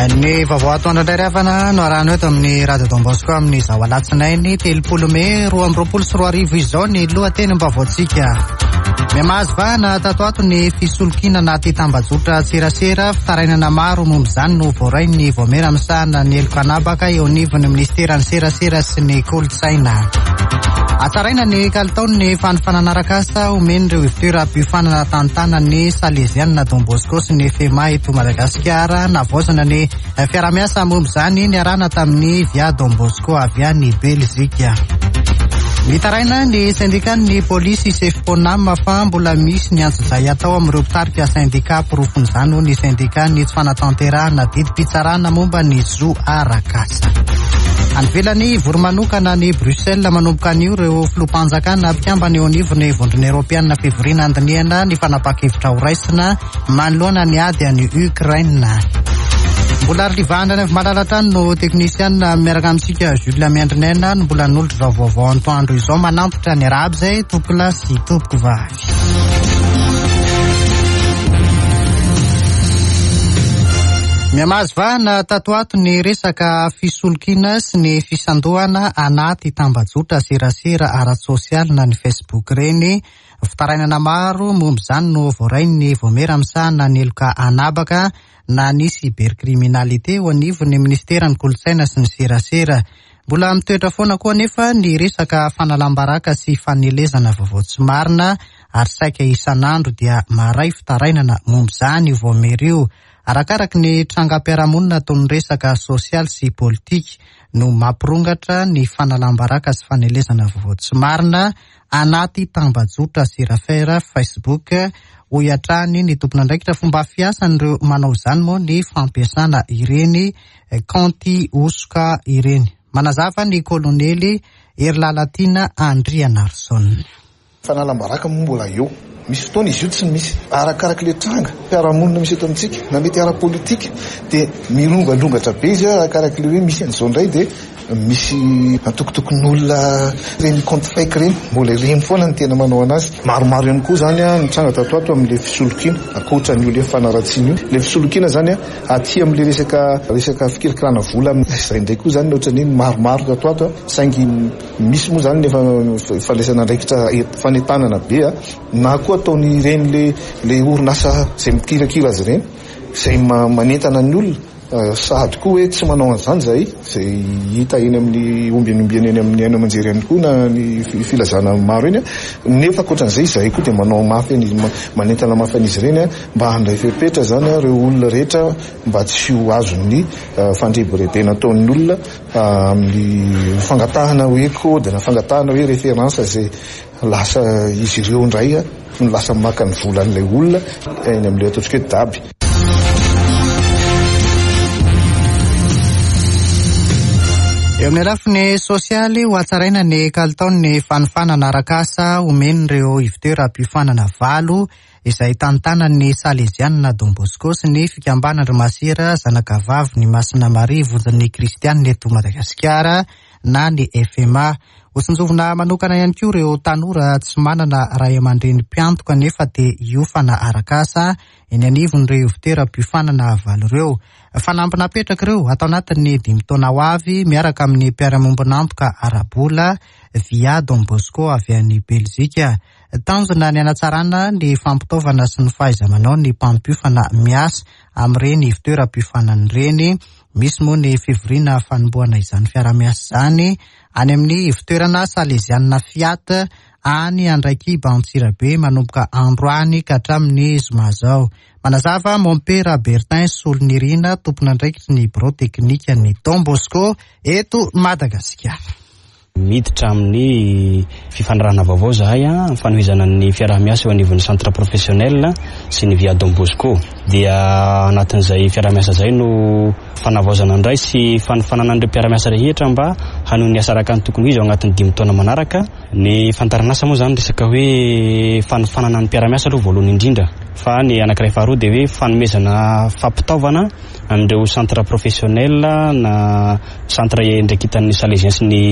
Ny vaovao atoandro indray ry havana no arahana eto amin'ny Radio Don Bosco amin'izao alatsinainy 30 mey 2022 izao ny lohatenim-baovaontsika. Mihamahazo vahana tato ato ny fisolokiana anaty tambajotra serasera, fitarainana maro momba izany no voarain'ny Vaomiera misahana ny heloka an'habaka eo anivon'ny minisiteran'ny serasera sy ny kolontsaina. Hatsaraina ny kalitaon'ny fanofanana arak'asa omen'ireo ivontoeram-piofanana tantanan'ny Salezianina Don Bosco sy ny FEMA eto Madagasikara. Navaozana ny fiaraha-miasa momba izany niarahana tamin'ny Via Don Bosco avy any Belzika. Mitaraina ny sendikan'ny polisy Sefponam fa mbola misy ny antsojay atao amin'ireo mpitarika sendika. Porofon'izany hoy ny sendika ny tsy fanatanterahana didim-pitsarana momba ny zo arak'asa. Any ivelany, hivory manokana any Bruxelles manomboka anio ireo filoham-panjakana mpikambana eo anivon'ny Vondrona Eoropeana fivoriana handinihana ny fanapahan-kevitra horaisina manoloana ny ady any Ukraine. Mbola Arivana Raivomalala hatrany no teknisianina miaraka amintsika Jules Miandrinaina no mbola hanolotra izao vaovao antoandro izao manantitra ny arahaba izay tompokolahy sy tompokovavy. Mihamahazo vahana tato ato ny resaka fisolokiana sy ny fisandohana anaty tambajotra serasera ara-tsosialy na ny Facebook ireny. Fitarainana maro momba izany no voarain'ny Vaomiera misahana ny heloka an'habaka na ny cybercriminalité eo anivon'ny minisiteran'ny Kolontsaina sy ny Serasera. Mbola mitoetra foana koa anefa ny resaka fanalam-baraka sy fanelezana vaovao tsy marina ary saika isan'andro dia maharay fitarainana momba izany io vaomiera io. Arakaraky ny trangam-piarahamonina toy ny resaka sosialy sy politika no mampirongatra ny fanalam-baraka sy fanelezana vaovao tsy marina anaty tambajotra serafera Facebook, hoy hatrany ny tompon'andraikitra. Fomba fiasan'ireo manao izany moa ny fampiasana ireny kaonty hosoka ireny. Manazava ny kolonely Herilalatiana Andrianarison. Fanalam-baraka moa mbola eo. Misy fotoana izy io tsy misy. Arakarak'ilay ilay tranga fiarahamonina misy eto amintsika na mety ara-politika dia mirongadrongatra be izy arakarak'ilay hoe misy an'izao indray dia misy antokotokon'olona ireny compte fake ireny. Mbola ireny foana no tena manao anazy. Maromaro ihany koa izany ny tranga tato ato amin'ilay fisolokiana ankoatra an'io ilay fanaratsiana io. Ilay fisolokiana izany aty amin'ilay resaka resaka fikirakirana vola izay indray koa izany ohatran'ny hoe maromaro tato ato saingy Misy moa izany ny efa fandraisana andraikitra fanentanana be na koa ataon'ireny le le orinasa izay mikirakira azy ireny izay manentana ny olona sahady koa hoe tsy manao an'izany izahay izay hita eny amin'ny ombieny ombieny eny amin'ny haino aman-jery ihany koa na ny filazana maro eny nefa ankoatran'izay izahay koa dia manao mafy manentana mafy an'izy ireny mba handray fepetra izany ireo olona rehetra mba tsy ho azon'ny fandrebirebena ataon'ny olona Amin'ny fangatahana hoe code na fangatahana hoe référence izay lasa izy ireo indray no lasa maka ny volan'ilay olona eny amin'ilay ataontsika hoe daby. Eo amin'ny lafiny sosialy, ho hatsaraina ny kalitaon'ny fanofanana arak'asa omen'ireo ivontoeram-piofanana valo izay tantanan'ny Salezianina Don Bosco sy ny fikambanan-dry Masera Zanakavavin'i Masina Maria Vonjin'ny Kristianina eto Madagasikara na ny FMA. Hotsinjovina manokana ihany koa ireo tanora tsy manana ray aman-dreny mpiantoka nefa te hiofana arak'asa eny anivon'ireo ivontoeram-piofanana valo ireo. Fanamby napetraka ireo ato anatin'ny dimy taona ho avy miaraka amin'ny mpiara-miombon'antoka ara-bola via Don Bosco avy any Belzika. Tanjona ny hanatsarana ny fampitaovana sy ny fahaiza-manao ny mpampiofana miasa amin'ireny ivontoeram-piofanana ireny. Misy moa ny fivoriana fanombohana izany fiaraha-miasa izany any amin'ny ivontoerana Salezianina Fiat any Andraikiba Antsirabe manomboka androany ka hatramin'ny zoma izao. Manazava Mompera Bertin Solonirina, tompon'andraikitry ny birao teknikan'ny Don Bosco eto Madagasikara. Miditra amin'ny fifanarahana vaovao izahay amin'ny fanohizana ny fiaraha-miasa eo anivon'ny Centre Professionnel sy ny Via Don Bosco. Dia anatin'izay fiaraha-miasa izay no fanavaozana indray sy fanofanana an'ireo mpiara-miasa rehetra mba hanohy ny asa araka ny tokony ho izy ao anatin'ny dimy taona manaraka. Ny fandaharanasa moa izany resaka hoe fanofanana ny mpiara-miasa aloha voalohany indrindra fa ny anankiray faharoa dia hoe fanomezana fampitaovana an'ireo centre professionnel na centre iandraiketan'ny Salesiens sy ny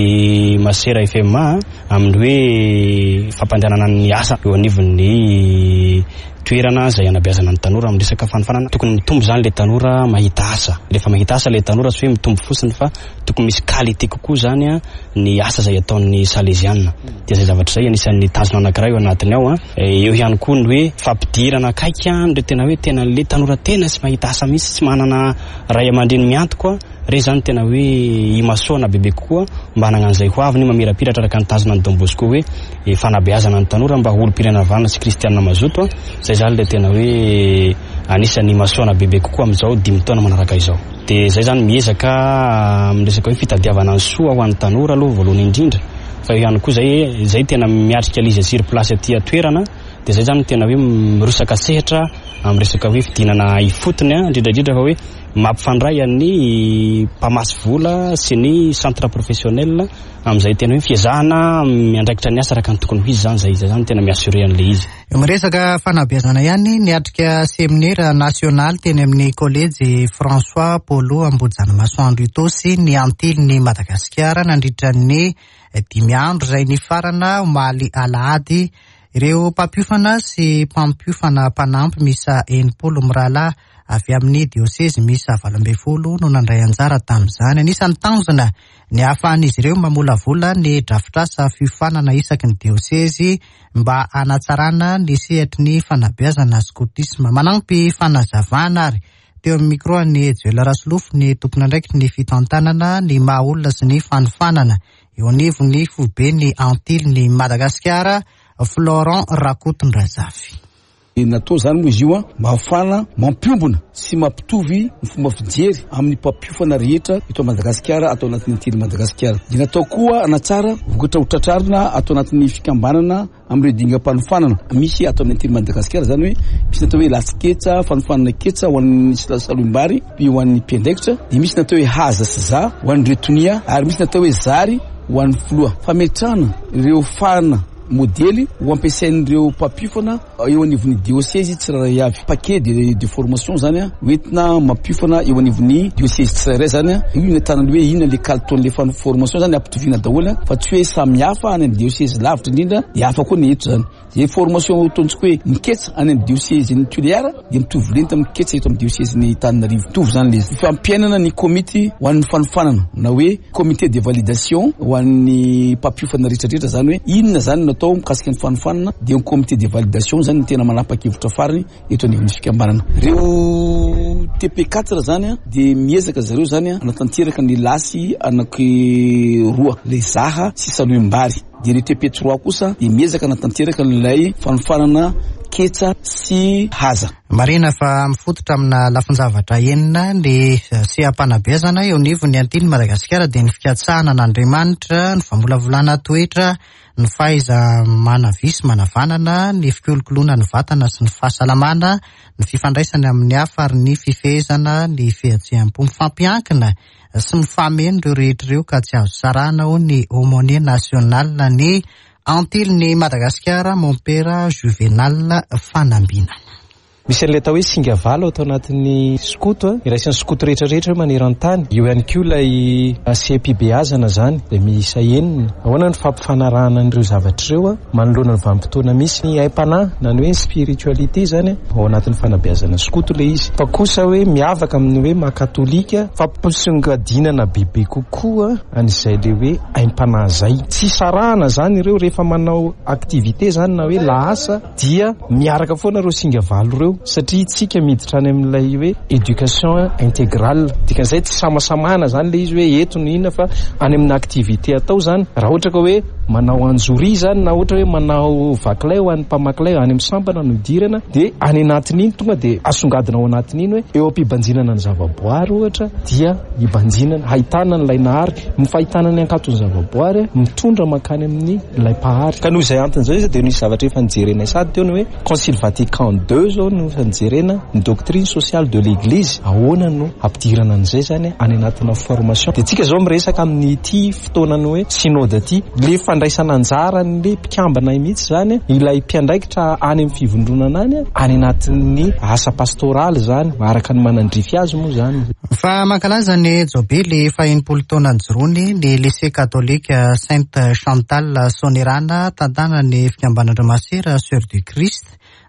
Masera FMA amin'ny hoe fampandehanana ny asa eo anivon'ny. toerana izay hanabeazana ny tanora amin'ny resaka fanofanana. Tokony mitombo izany ilay tanora mahita asa. Rehefa mahita asa ilay tanora tsy hoe mitombo fotsiny fa tokony misy qualité kokoa izany ny asa izay ataon'ny Saleziana. Dia izay zavatra izay anisan'ny tanjona anankiray ao anatiny ao. Eo ihany koa ny hoe fampidirana akaiky an'ireo tena hoe tena ilay tanora tena tsy mahita asa mihitsy, tsy manana ray aman-dreny miantoka. Ireny izany tena hoe imasoana bebe kokoa mba hanana an'izay ho aviny mamirapiratra araka ny tanjona ny Don Bosco hoe fanabeazana ny tanora mba ho olom-pirenena vanona sy kristianina mazoto. Izay izany ilay tena hoe anisan'ny imasoana bebe kokoa amin'izao dimy taona manaraka izao. Dia izay izany miezaka amin'ny resaka hoe fitadiavana ny soa ho an'ny tanora aloha voalohany indrindra fa eo ihany koa izay izay tena miatrika ilay izy sur place aty an-toerana dia izay izany tena hoe mirosaka sehatra amin'ny resaka hoe fidinana ifotony indrindra indrindra fa hoe mampifandray an'ny mpamasy vola sy ny centre professionnel amin'izay tena hoe fiezahana miandraikitra ny asa araka ny tokony ho izy izany izay izay izany tena mi-assurer an'ilay izy. Miresaka fanabeazana ihany, niatrika seminera nasionaly teny amin'ny kolejy François Polo Ambohijanamasoandro Itaosy ny Antilin'i Madagasikara nandritra ny dimy andro izay nifarana omaly alahady. Ireo mpampiofana sy mpampiofana mpanampy miisa 60 mirahalahy avy amin'ny diosezy miisa 18 no nandray anjara tamin'izany. Anisan'ny tanjona ny hahafahan'izy ireo mamolavola ny drafitrasa fiofanana isaky ny diosezy mba hanatsarana ny sehatry ny fanabeazana skotisma. Manampy fanazavana ary teo amin'ny micro an'i Joel Rasolofo ny tompon'andraikitry ny fitantanana ny maha olona sy ny fanofanana eo anivon'ny foiben'ny Antilin'i Madagasikara, Florent Rakotondrazafy. Natao izany moa izy io mba hahafahana mampiombona sy mampitovy ny fomba fijery amin'ny mpampiofana rehetra eto Madagasikara ato anatin'ny Antily Madagasikara. Dia natao koa hanatsara vokatra ho tratrarina ato anatin'ny fikambanana amin'ireo dingam-panofanana misy ato amin'ny Antily Madagasikara, izany hoe misy natao hoe lasy-ketsa, fanofanana ketsa ho an'ny saloim-bary ho an'ny mpiandraikitra, dia misy natao hoe haza sy za ho an'ireo tonia ary misy natao hoe zary ho an'ny filoha. Fametrahana ireo fahana modely ho ampiasain'ireo mpampiofana eo anivon'ny diosezy tsirairay avy. Paquet de de formation zany hoentina mampiofana eo anivon'ny diosezy tsirairay zany. Io no ahitana ny hoe inona le kalitaon'le formation zany ampitoviana daholo fa tsy hoe samy hafa any amin'ny diosezy lavitra indrindra dia hafa koa ny eto zany. Izay formation ataontsika hoe miketsa any amin'ny diosezin'i Toliara dia mitovy lenta amin'ny ketsa eto amin'ny diosezin'i Antananarivo. Mitovy zany le izy. Fampiainana ny komity ho an'ny fanofanana na hoe Comité de validation ho an'ny mpampiofana rehetra rehetra zany hoe inona zany no atao mikasika ny fanofanana dia ny comité de validation zany no tena manapa-kevitra farany eto anivon'ny fikambanana. Ireo TP quatre zany dia miezaka zareo zany hanatanteraka ny lasy anaky roa, ilay zaha sy salohim-bary. Dia ireo TP trois kosa dia miezaka hanatanteraka an'ilay fanofanana ketsa sy haza. Marihina fa mifototra amina lafin-javatra enina ny seha-panabeazana eo anivon'ny Antilin'i Madagasikara dia ny fikatsahana an'Andriamanitra, ny famolavolana toetra, ny fahaiza-manavia sy manavanana, ny fikolokoloana ny vatana sy ny fahasalamana, ny fifandraisana amin'ny hafa ary ny fifehezana ny fihetseham-po. Mifampiankina sy mifameno ireo rehetra ireo ka tsy azo sarahina hoy ny Aumônier National ny Antilin'i Madagasikara, Mompera Juvenal Fanambinana. Misy an'ilay atao hoe singa valo ato anatin'ny skoto, iraisan'ny skoto rehetra rehetra eo maneran-tany. Eo ihany koa ilay seha-pibeazana izany, izay miisa enina. Ahoana ny fampifanarahana an'ireo zavatra ireo manoloana ny vanim-potoana misy ny aim-panahy na ny hoe spiritualité izany ao anatin'ny fanabeazana skoto ilay izy. Fa kosa hoe miavaka amin'ny hoe maha katolika, fampisongadinana bebe kokoa an'izay ilay hoe aim-panahy izay. Tsy sarahana izany ireo rehefa manao activité izany na hoe lahasa. Dia miaraka foana ireo singa valo ireo satria isika miditra any amin'ilay hoe éducation intégrale. Dikan'izay tsy samasamahana izany ilay izy hoe eto no inona fa any amin'ny activité atao izany. Raha ohatra ka hoe manao anjoria izany na ohatra hoe manao vakilay ho an'ny mpamakilay any amin'ny sampana no idirana dia any anatin'iny tonga dia asongadina ao anatin'iny hoe eo am-pibanjinana ny zavaboary ohatra dia hibanjinana, hahitana an'ilay Nahary. Ny fahitana ny hankaton'ny zavaboary mitondra mankany amin'ny ilay Mpahary. Ka noho izay antony izay dia nisy zavatra efa nijerenay sady teo ny hoe Concile Vatican ii izao no efa nijerena ny doctrine sociale de l'Eglise, ahoana no hampidirana an'izay izany any anatina formation. Dia tsika izao miresaka amin'ity fotoanan'ny hoe synode ity, ilay fandraisana anjaran'ilay mpikambana mihitsy izany, ilay mpiandraikitra any amin'ny fivondronana any, any anatin'ny asa pastoraly izany, araka ny manandrify azy moa izany. Fa mankalaza ny jobily faha-enimpolo taona nijoroany ny Lycée Catholique Sainte Chantal Soanierana tantanan'ny fikambanan-dry Masera Soeur du Christ.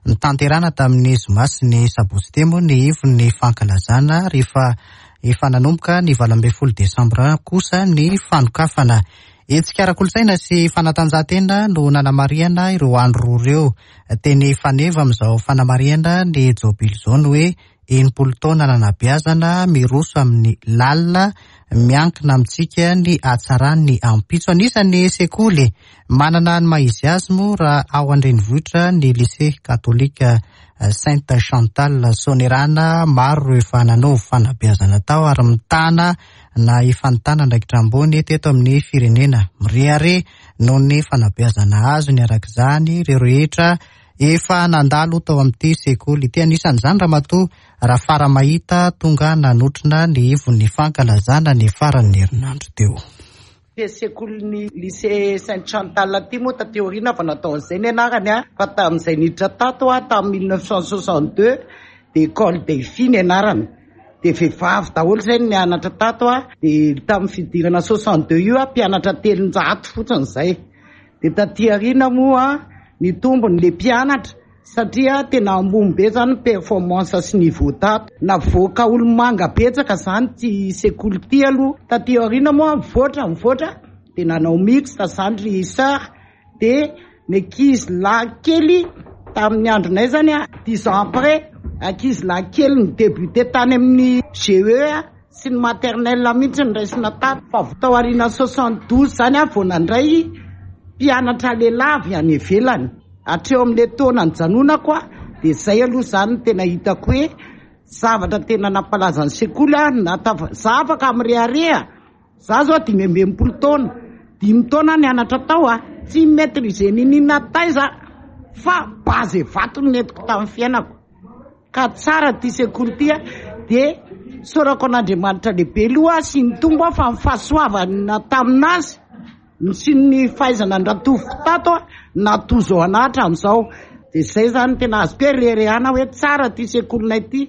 Notanterahina tamin'ny zoma sy ny sabotsy teo moa ny ivon'ny fankalazana rehefa efa nanomboka ny 18 desambra kosa ny fanokafana. Hetsika ara-kolontsaina sy fanatanjahantena no nanamarihana ireo andro roa ireo. Teny faneva amin'izao fanamarihana ny jobily izao ny hoe 60 taona nanabeazana, miroso amin'ny lalina, miankina amintsika ny hatsaran'ny ampitso. Anisan'ny sekoly manana ny maha izy azy moa raha ao an-drenivohitra ny Lycée Catholique Sainte Chantal Soanierana. Maro ireo efa nanao fanabeazana tao ary mitana na efa nitana andraikitra ambony teto amin'ny firenena. Mirehareha noho ny fanabeazana azony araka izany ireo rehetra efa nandalo tao amin'ity sekoly ity. Anisan'izany Ramatoa Rafaramahita tonga nanotrona ny ivon'ny fankalazana ny faran'ny herinandro teo. Ity sekolin'ny Lycée Sainte Chantal ity moa taty aoriana vao natao an'izay ny anarany fa tamin'izay niditra tato aho tamin'ny 1962 dia École des filles ny anarany. Dia vehivavy daholo izay no nianatra tato dia tamin'ny fidirana 62 io mpianatra 300 fotsiny izay. Dia taty aoriana moa nitombo ny mpianatra satria tena ambony be izany ny performance sy niveau tato. Navoaka olomanga betsaka izany ity sekoly ity aloha. Taty aoriana moa nivoatra nivoatra dia nanao mixte izany ry sœur dia ny ankizy lahy kely tamin'ny andronay izany dix ans après ankizy lahy kely ni-débuter tany amin'ny GE sy ny maternelle mihitsy no raisina tato. Fa tao aorianan'ny 72 izany aho vao nandray mpianatra lehilahy avy any ivelany. Hatreo amin'ilay taona nijanonako aho dia izay aloha izany no tena hitako hoe zavatra tena nampalaza ny sekoly aho, na za afaka mirehareha. Za zao 65 taona, dimy taona aho nianatra tao a, tsy mi-maitriser n'inona taiza fa base vato no nentiko tamin'ny fiainako. Ka tsara ity sekoly ity a, dia isaorako an'Andriamanitra lehibe aloha sy ny Tompo aho fa ny fahasoavana tamin'azy sy ny fahaizana ndratoviko tato a, natozo anah hatramin'izao. Dia izay izany tena azoko hoe reharehana hoe tsara ity sekolinay ity.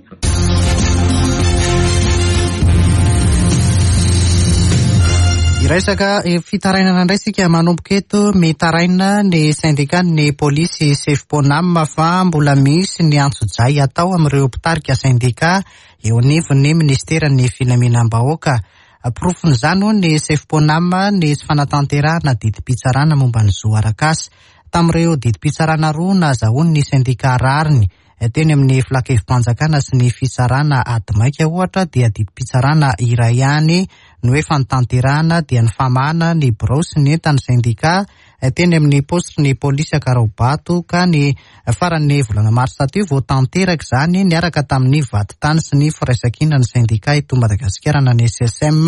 Hiresaka fitarainana indray isika manomboka eto. Mitaraina ny sendikan'ny polisy Sefponam fa mbola misy ny antsojay atao amin'ireo mpitarika sendika eo anivon'ny minisiteran'ny filaminam-bahoaka. Porofon'izany hoy ny Sefponam ny tsy fanatanterahana didim-pitsarana momba ny zo arak'asa. Tamin'ireo didim-pitsarana roa nahazahoan'ny sendika rariny teny amin'ny filankevi-panjakana sy ny fitsarana ady maika ohatra dia didim-pitsarana iray ihany no efa notanterahana dia ny famahana ny birao sy ny entan'ny sendika teny amin'ny paositry ny polisy Ankaraobato ka ny faran'ny volana marsa teo vao tanteraka izany niaraka tamin'ny vadintany sy ny firaisankinan'ny sendika eto Madagasikara na ny SSM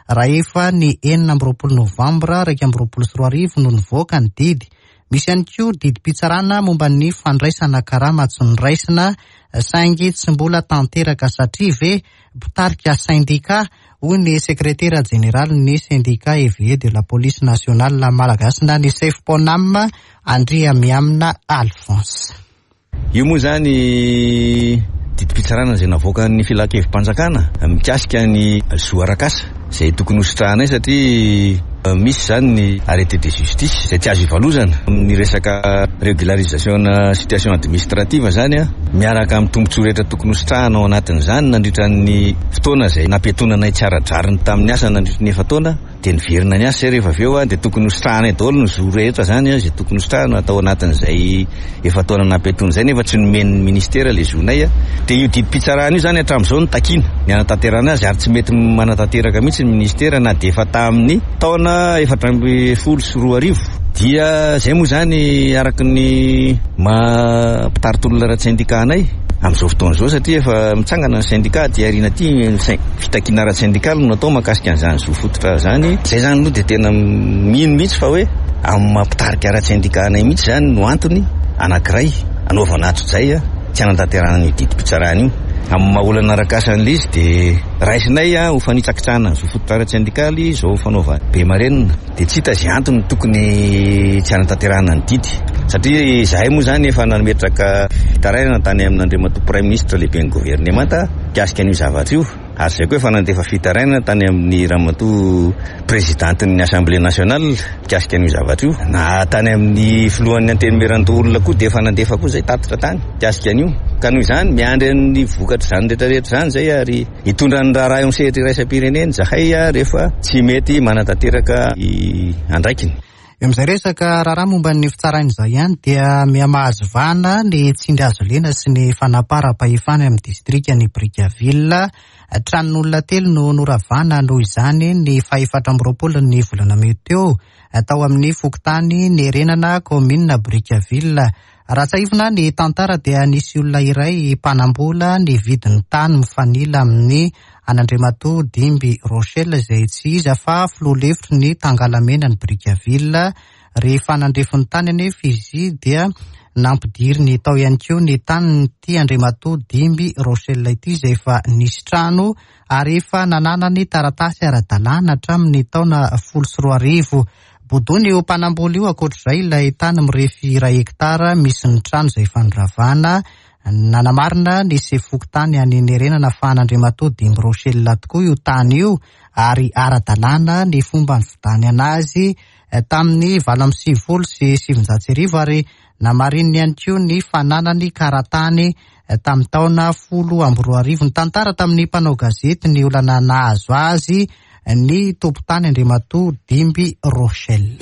raha efa ny 26 novambra 2021 no nivoaka ny didy. Misy ihany koa didim-pitsarana momba ny fandraisana karama tsy noraisina saingy tsy mbola tanteraka satria ve mpitarika sendika, hoy ny sekretera jeneralin'ny Syndicat Éveillé de la Police Nationale Malagasy na ny Sefponam, Andriamihamina Alphonse. Io moa izany didim-pitsarana izay navoakan'ny filankevi-panjakana mikasika ny zo arak'asa izay tokony hositrahanay satria misy izany ny arrêté de justice izay tsy azo ivalozana amin'ny resaka régularisation-na situation administrative izany miaraka amin'ny tombontsoa rehetra tokony hositrahana ao anatin'izany nandritra ny fotoana izay nampiatoana anay tsy ara-drariny tamin'ny asa nandritra ny efa-taona. Dia niverina niasa izay rehefa avy eo dia tokony hositrahanay daholo ny zo rehetra izany izay tokony hositrahana tao anatin'izay efa-taona nampiatoana izay nefa tsy nomen'ny ministera ilay zonay. Dia io didim-pitsarana io izany hatramin'izao no takiana ny hanatanterahana azy ary tsy mety manatanteraka mihitsy ny ministera na dia efa tamin'ny taona 2014. Dia izay moa izany araka ny maha mpitari-tolona ara-tsendika anay amin'izao fotoana izao satria efa mitsangana ny sendika aty aoriana aty. Fitakiana ara-tsendikaly no natao mahakasika an'izany zo fototra izany. Izay izany aloha dia tena mino mihitsy fa hoe amin'ny maha mpitarika ara-tsendika anay mihitsy izany no antony anankiray anaovana antsojay tsy hanatanterahana an'io didim-pitsarana io. Amin'ny maha olana arak'asa an'ilay izy dia raisinay ho fanitsakitsahana ny zo fototra ara-tsendikaly izao fanaovana be marenina. Dia tsy hita izay antony tokony tsy hanatanterahana ny didy satria izahay moa izany efa nametraka fitarainana tany amin'Andriamatoa Praiminisitra lehiben'ny governemanta mikasika an'io zavatra io. Ary izay koa efa nandefa fitarainana tany amin'ny ramatoa prezidantin'ny Assemblée nationale mikasika an'io zavatra io. Na tany amin'ny filohan'ny Antenimierandoholona koa dia efa nandefa koa izay tatitra tany mikasika an'io. Ka noho izany, miandry ny vokatr'izany rehetra rehetra izany izay ary hitondra ny raharaha eo amin'ny sehatra iraisam-pirenena izahay rehefa tsy mety manatanteraka ny andraikiny. Eo amin'izay resaka raharaha momba ny fitsaraina izay ihany dia miha-mahazo vahana ny tsindry hazo lena sy ny fanaparam-pahefana amin'ny distrikan'i Brickaville. Tranon'olona telo no noravana noho izany ny fahefatra amby roapolo ny volana mey teo tao amin'ny fokontany Nierenana, kaominina Brickaville. Raha tsiahivina ny tantara dia nisy olona iray mpanambola nividy ny tany mifanila amin'ny an'Andriamatoa Dimby Rochel izay tsy iza fa filoha lefitry ny Tangalamenan'i Brickaville. Rehefa nandrefy ny tany anefa izy dia nampidiriny tao ihany koa ny tanin'ity Andriamatoa Dimby Rochel ity izay efa nisy trano ary efa nananany taratasy ara-dalàna hatramin'ny taona 2010. Bodoiny io mpanambola io ankoatr'izay ilay tany mirefy iray hektara misy ny trano izay efa noravana. Nanamarina ny sefo fokontany any Nierenana fa an'Andriamatoa Dimby Rochel tokoa io tany io ary ara-dalàna ny fomba nividianana azy tamin'ny 1998 ary namarininy ihany koa ny fananany karatany tamin'ny taona 2010. Nitantara tamin'ny mpanao gazety ny olana nahazo azy ny tompon-tany Andriamatoa Dimby Rochel.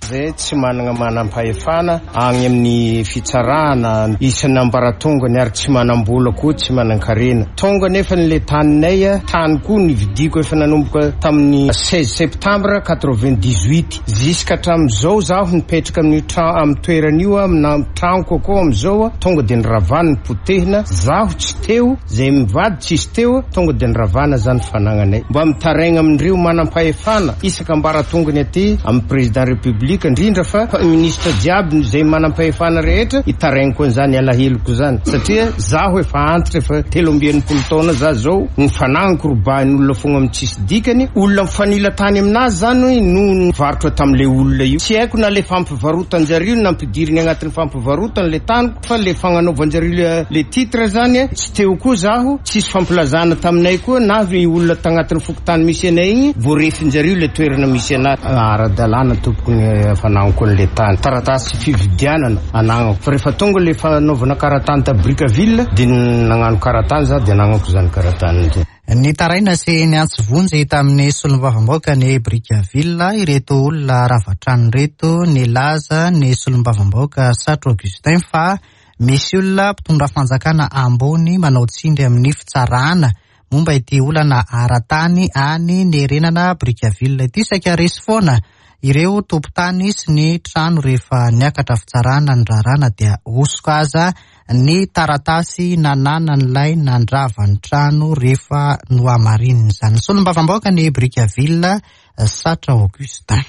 Zay tsy managna manam-pahefana agny amin'ny fitsarana isan'ambaratongany ary tsy manam-bola koa, tsy manan-karena. Tonga nefa le taninay, tany koa nividiako efa nanomboka tamin'ny 16 septembre 98. Jusqu'à hatramin'izao zaho nipetraka amin'io tra-, amin'ny toerana io, amina tranoko akao amin'izao, tonga dia niravana, nipotehina, zaho tsy teo. Zay mivady tsisy teo tonga de niravana zany fanagnanay. Mba mitaraigna amindreo manampahefana isaka ambaratongany aty amin'ny président république indrindra fa ministre jiaby zay manampahefana rehetra itaraigna an'izany alaheloko zany satria zaho efa antitra efa 63 taona za zao ny fanagnako robahin'olona fogna amin'ny tsisy dikany olona mifanila tany aminazy zany no nivarotra tam'le olona io tsy haiko na le fampivarotan-jareo nampidiriny agnatin'ny fampivarotana le taniko fa le fagnanaovan-jareo le titre zany tsy teo koa zaho tsisy fampilazana taminay koa na ny olona tagnatin'ny fokontany misy anay igny voarefin-jareo le toerana misy anahy ara-dalàna tompoko ny fanagnako an'le tany taratasy fividianana anagnako fa rehefa tonga le fanaovana karatany ta Brickaville de nagnano karatany za de anagnako zany karatany zay. Nitaraina sy niantso vonjy tamin'ny solombavambahoaka ny Brickaville ireto olona rava trano ireto. Nilaza ny solombavambahoaka Satro Augustin fa misy olona mpitondra fanjakana ambony manao tsindry amin'ny fitsarana momba ity olana ara-tany any Nierenana Brickaville ity. Saika resy foana ireo tompon-tany sy ny trano rehefa niakatra fitsarana ny raharaha dia hosoka aza ny taratasy nananan'ilay nandrava ny trano rehefa nohamarininy izany. Solombavambahoaka ny Brickaville Satra Augustin.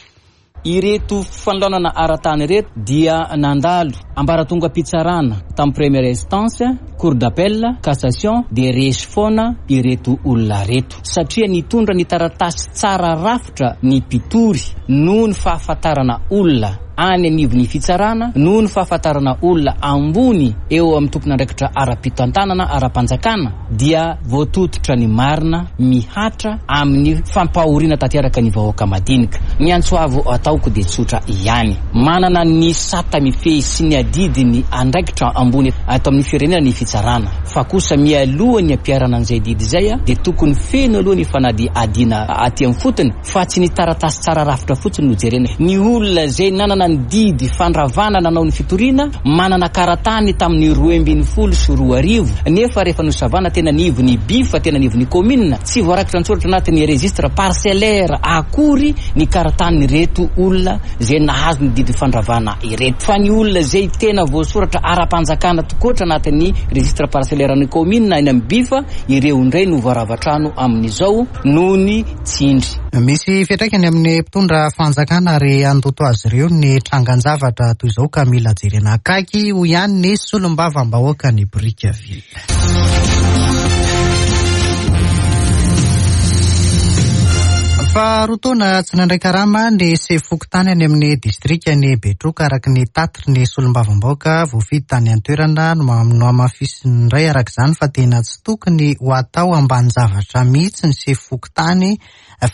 Ireto fanolanana ara-tany ireto dia nandalo ambaratongam-pitsarana tamin'ny première instance, cour d'appel, cassation dia resy foana ireto olona reto satria nitondra ny taratasy tsara rafitra ny mpitory noho ny fahafantarana olona any anivon'ny fitsarana noho ny fahafantarana olona ambony eo amin'ny tompon'andraikitra ara-pitantanana ara-panjakana dia voatototra ny marina mihatra amin'ny fampahoriana tanteraka ny vahoaka madinika. Ny antso avo ataoko dia tsotra ihany. Manana ny sata mifehy sy ny adidy ny andraikitra ambony ato amin'ny firenena ny fitsarana fa kosa mialoha ny ampiharana an'izay didy izay dia tokony feno aloha ny fanadihadiana aty amin'ny fotony fa tsy ny taratasy tsara rafitra fotsiny no jerena. Ny olona izay nanana ny didy fandravana nanao ny fitoriana manana karatany tamin'ny 2012 nefa rehefa nosavana tena anivon'ny BIF tena anivon'ny commune tsy voarakitra an-tsoratra anatin'ny registre parcellaire akory ny karatanin'ireto olona izay nahazo ny didy fandravana ireto fa ny olona izay tena voasoratra ara-panjakana tokoatra anatin'ny registre parcellaire ny commune any amin'ny BIF ireo indray no voarava-trano amin'izao noho ny tsindry. Misy fiantraikany amin'ny mpitondra fanjakana ary handoto azy ireo ny trangan-javatra toy izao ka mila jerena akaiky hoy ihany ny solombavambahoaka ny Brickaville. Efa roa taona tsy nandray karama ny sefo fokontany any amin'ny distrikan'i Betroka araka ny tatitry ny solombavambahoaka voafidy tany an-toerana no nohamafisiny indray araka izany fa tena tsy tokony ho atao ambanin-javatra mihitsy ny sefo fokontany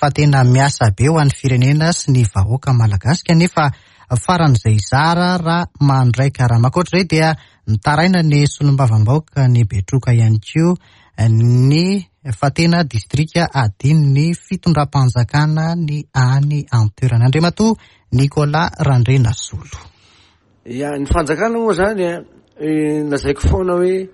fa tena miasa be ho an'ny firenena sy ny vahoaka malagasy kanefa faran'izay zara raha mandray karama. Ankoatra izay dia nitaraina ny solombavambahoaka ny Betroka ihany koa ny fa tena distrika adinon'ny fitondram-panjakana ny any an-toerana. Andriamatoa Nicolas Randrianasolo. Ya, ny fanjakana moa zany a, lazaiko foana hoe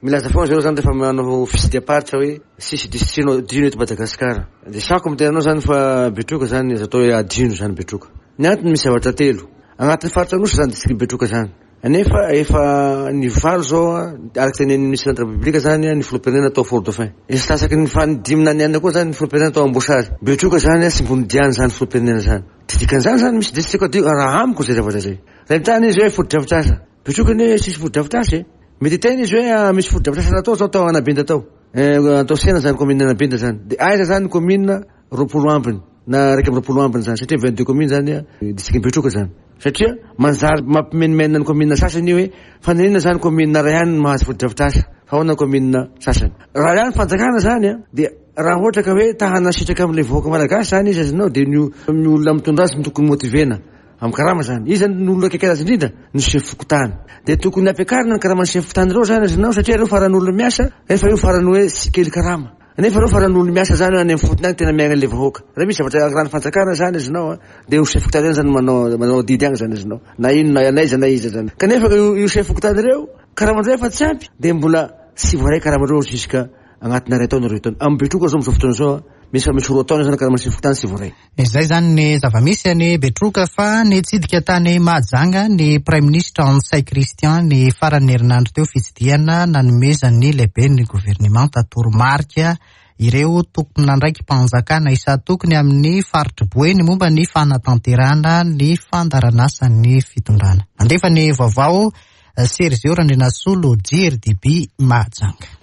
milaza foana zareo zany rehefa manao fitsidiham-paritra hoe tsisy district adino eto Madagasikara. De sako miteny anao zany fa Betroka zany azo atao hoe adino zany Betroka. Ny antony misy zavatra telo. Agnatin'ny faritra Anosy zany district Betroka zany. Nefa efa ny valo zao araka tenenin'ny ministre de la République zany ny filoham-pirenena tao Fort Dauphin. Efa lasaky ny faha dimy na ny enina koa zany ny filoham-pirenena tao Amboasary. Betroka zany tsy mbo nidiany zany filoham-pirenena zany. Tsy dikan'izany zany misy district adio raha amiko zay zavatra zay. Raha mitany izy hoe fotodrafitrasa. Betroka anie tsisy fotodrafitrasa e. Mety hiteny izy hoe misy fotodrafitrasa natao zao tao Anabinda tao. Atao sena zany commune Anabinda zany. De aiza zany commune 20 ambiny na 21 ambiny zany satria 22 commune zany district Betroka zany. Satria manjary mampimenomenona ny commune sasany io hoe fa naninona zany commune iray ihany no mahazo fotodrafitrasa fa ahoana commune sasany. Raha ihany fanjakana zany dia raha ohatra ka hoe ta hanasitraka amin'ilay vahoaka malagasy zany izy azonao dia ny olona mitondra azy no tokony motivena amin'ny karama zany. Iza no olona akaiky azy indrindra? Ny chef fokontany. Dia tokony ampiakarina ny karaman'ny chef fokontany ireo zany azonao satria ireo farany olona miasa nefa io farany hoe tsy kely karama. Nefa ireo farany olona miasa zany any amin'ny fotony any tena miaina ilay vahoaka. Raha misy zavatra an'ny fanjakana zany azonao a, dia io chef fokontany ireo zany manao manao adidy agny zany azonao. Na inona na iza na iza zany. Kanefa io io chef fokontany ireo karamandreo efa tsy ampy dia mbola tsy voaray karamandreo jusqu'à agnatina iray taona roa taona. Amin'ny Betroka zao amin'izao fotoana izao a, misy efa misy roa taona zany karaman'ny chef fokontany tsy voaray. Izay izany ny zava-misy any Betroka fa nitsidika tany Mahajanga ny Praiminisitra Ntsay Christian ny faran'ny herinandro teo fitsidihana nanomezan'ny lehiben'ny governemanta toromarika ireo tompon'andraiki-panjakana isan-tokony amin'ny faritr'i Boeny momba ny fanatanterahana ny fandaharanasan'ny fitondrana. Nandefa ny vaovao Sergio Randrianasolo, JRDB Mahajanga.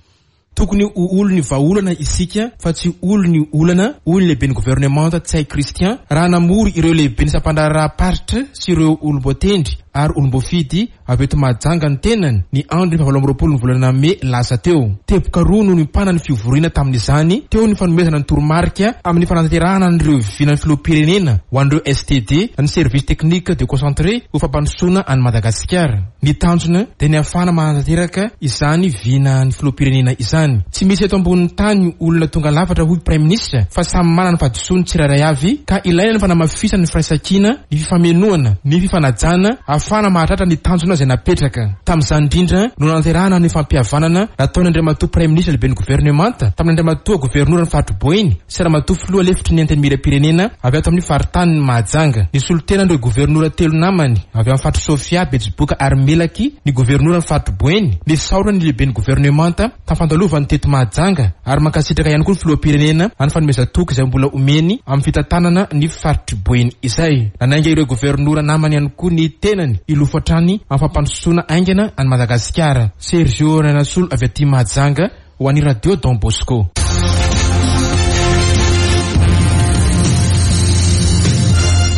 Tokony ho olon'ny vahaolana isika fa tsy olon'ny olana, hoy ny lehiben'ny governemanta Ntsay Christian, raha namory ireo lehiben'ny sampandraharaham-paritra sy ireo olom-boatendry ary olom-boafidy avy eto Mahajanga ny tenany, ny andron'ny fahavalo ny volana mey lasa teo. Teboka roa no niompanan'ny fivoriana tamin'izany, teo ny fanomezana ny toromarika amin'ny fanatanterahana an'ireo vinan'ny filoham-pirenena ho an'ireo STD, ny Service Technique Déconcentré, ho fampandrosoana an'i Madagasikara. Ny tanjona dia ny hahafahana manatanteraka izany vinan'ny filoham-pirenena izany. Tsy misy eto ambonin'ny tany olona tonga lafatra hoy Praiminisitra fa samy manana ny fahadisoany tsirairay avy ka ilaina ny fanamafisana ny firaisankina, ny fifamenoana, ny fifanajana hahafahana mahatratra ny tanjona izay napetraka. Tamin'izany indrindra no nanatanterahana ny fampihavanana nataon'Andriamatoa Praiminisitra lehiben'ny governemanta tamin'Andriamatoa Governoran'ny faritr'i Boeny sy Ramatoa Filoha lefitry ny Antenimierampirenena avy ato amin'ny faritanin'i Mahajanga. Nisolo tena an'ireo governora telo namany avy amin'ny faritr'i Sofia, Betsiboka ary Melaky ny governoran'ny faritr'i Boeny. Nisaorana ny lehiben'ny governemanta tamin'ny fandalovany teto Mahajanga ary mankasitraka ihany koa ny Filoham-pirenena amin'ny fanomezan-toky izay mbola omeny amin'ny fitantanana ny faritr'i Boeny izay. Nanainga ireo governora namany ihany koa ny tenany hilofo hatrany amin'ny fampandrosoana haingana an'i Madagasikara. Sergio Rainasolo avy aty Mahajanga. Ho an'ny Radio Don Bosco.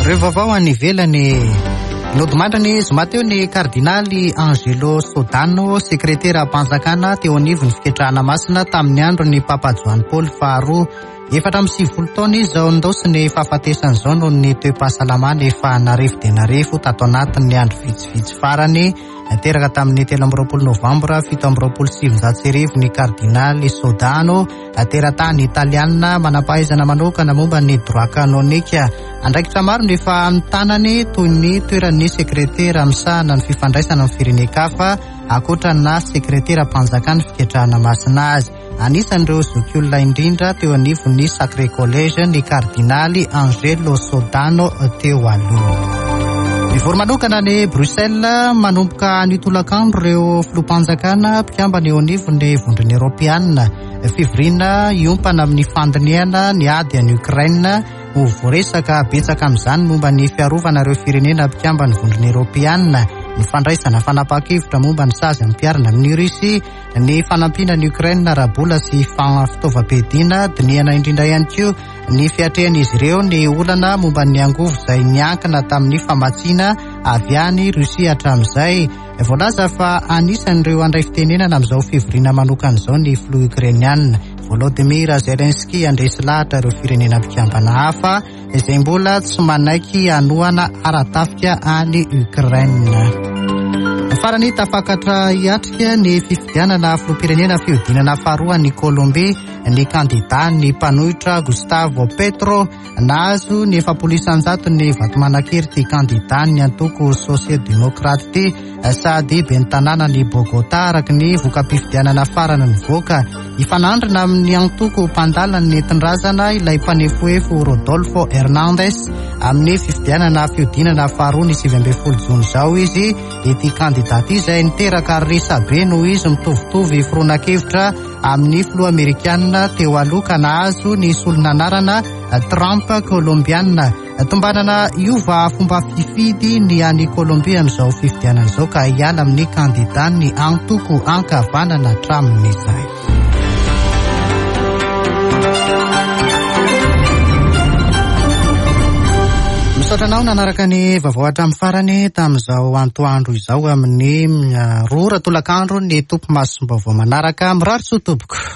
Ireo vaovao any ivelany. Nodimandry ny zoma teo ny kardinaly Angelo Sodano, sekreteram-panjakana teo anivon'ny fiketrahana masina tamin'ny andron'ny Papa Joany Paoly faharoa. 94 taona izy izao nindaosin'ny fahafatesana izao noho ny toe-pahasalamana efa narefo dia narefo tato anatin'ny andro vitsivitsy farany. Teraka tamin'ny 23 novambra 1927 ny kardinaly Sodano, teratany italianina manam-pahaizana manokana momba ny droit canonique. Andraikitra maro no efa notanany toy ny toeran'ny sekretera misahana ny fifandraisana amin'ny firenen-kafa, ankoatra ny naha sekreteram-panjakan'ny fiketrahana masina azy. Anisan'ireo zokiolona indrindra teo anivon'ny Sacré Collège ny kardinaly Angelo Sodano teo aloha. Mivory manokana any Bruxelles manomboka anio tolakandro ireo filoham-panjakana mpikambana eo anivon'ny Vondrona Eoropeanina. Fivoriana hiompana amin'ny fandinihana ny ady any Ukraine. Ho voaresaka betsaka amin'izany momba ny fiarovana ireo firenena mpikamban'ny Vondrona Eoropeanina. ny fandraisana fanapahan-kevitra momba ny sazy ampiharina amin'i Russie, ny fanampiana an'i Ukraine ara-bola sy fitaovam-piadiana. Dinihana indrindra ihany koa ny fiatrehan'izy ireo ny olana momba ny angovo izay niankina tamin'ny famatsiana avy any Russie hatramin'izay. Voalaza fa anisan'ireo handray fitenenana amin'izao fivoriana manokana izao ny filoha Ukrainiana Volodymyr Zelensky handresy lahatra ireo firenena mpikambana hafa izay mbola tsy manaiky hanohana ara-tafika any Ukraine. Farany, tafakatra hiatrika ny fifidianana filoham-pirenena fihodinana faharoa any Colombie ny kandidà ny mpanohitra Gustavo Petro. Nahazo ny 40% ny vato manan-kery ity kandidà ny antoko sosial-demokraty ity sady ben'ny tanànan'i Bogota araka ny voka-pifidianana farany nivoaka. Hifanandrina amin'ny antoko mpandala ny nentin-drazana ilay mpanefoefo Rodolfo Hernández amin'ny fifidianana fihodinana faharoa ny 19 jona izao izy. Ity kandidà ity izay niteraka resabe noho izy mitovitovy fironan-kevitra amin'ny filoha amerikanina teo aloha ka nahazo ny solon'anarana Trump Kolombiana. Tombanana hiova fomba fifidy ny any Kolombia amin'izao fifidianana izao ka hiala amin'ny kandidàn'ny antoko ankavanana hatramin'izay. Misaotra anao nanaraka ny vaovao hatramin'ny farany tamin'izao antoandro izao amin'ny 2 ora tolakandro ny tompo masom-baovao manaraka. Mirary soa tompoko.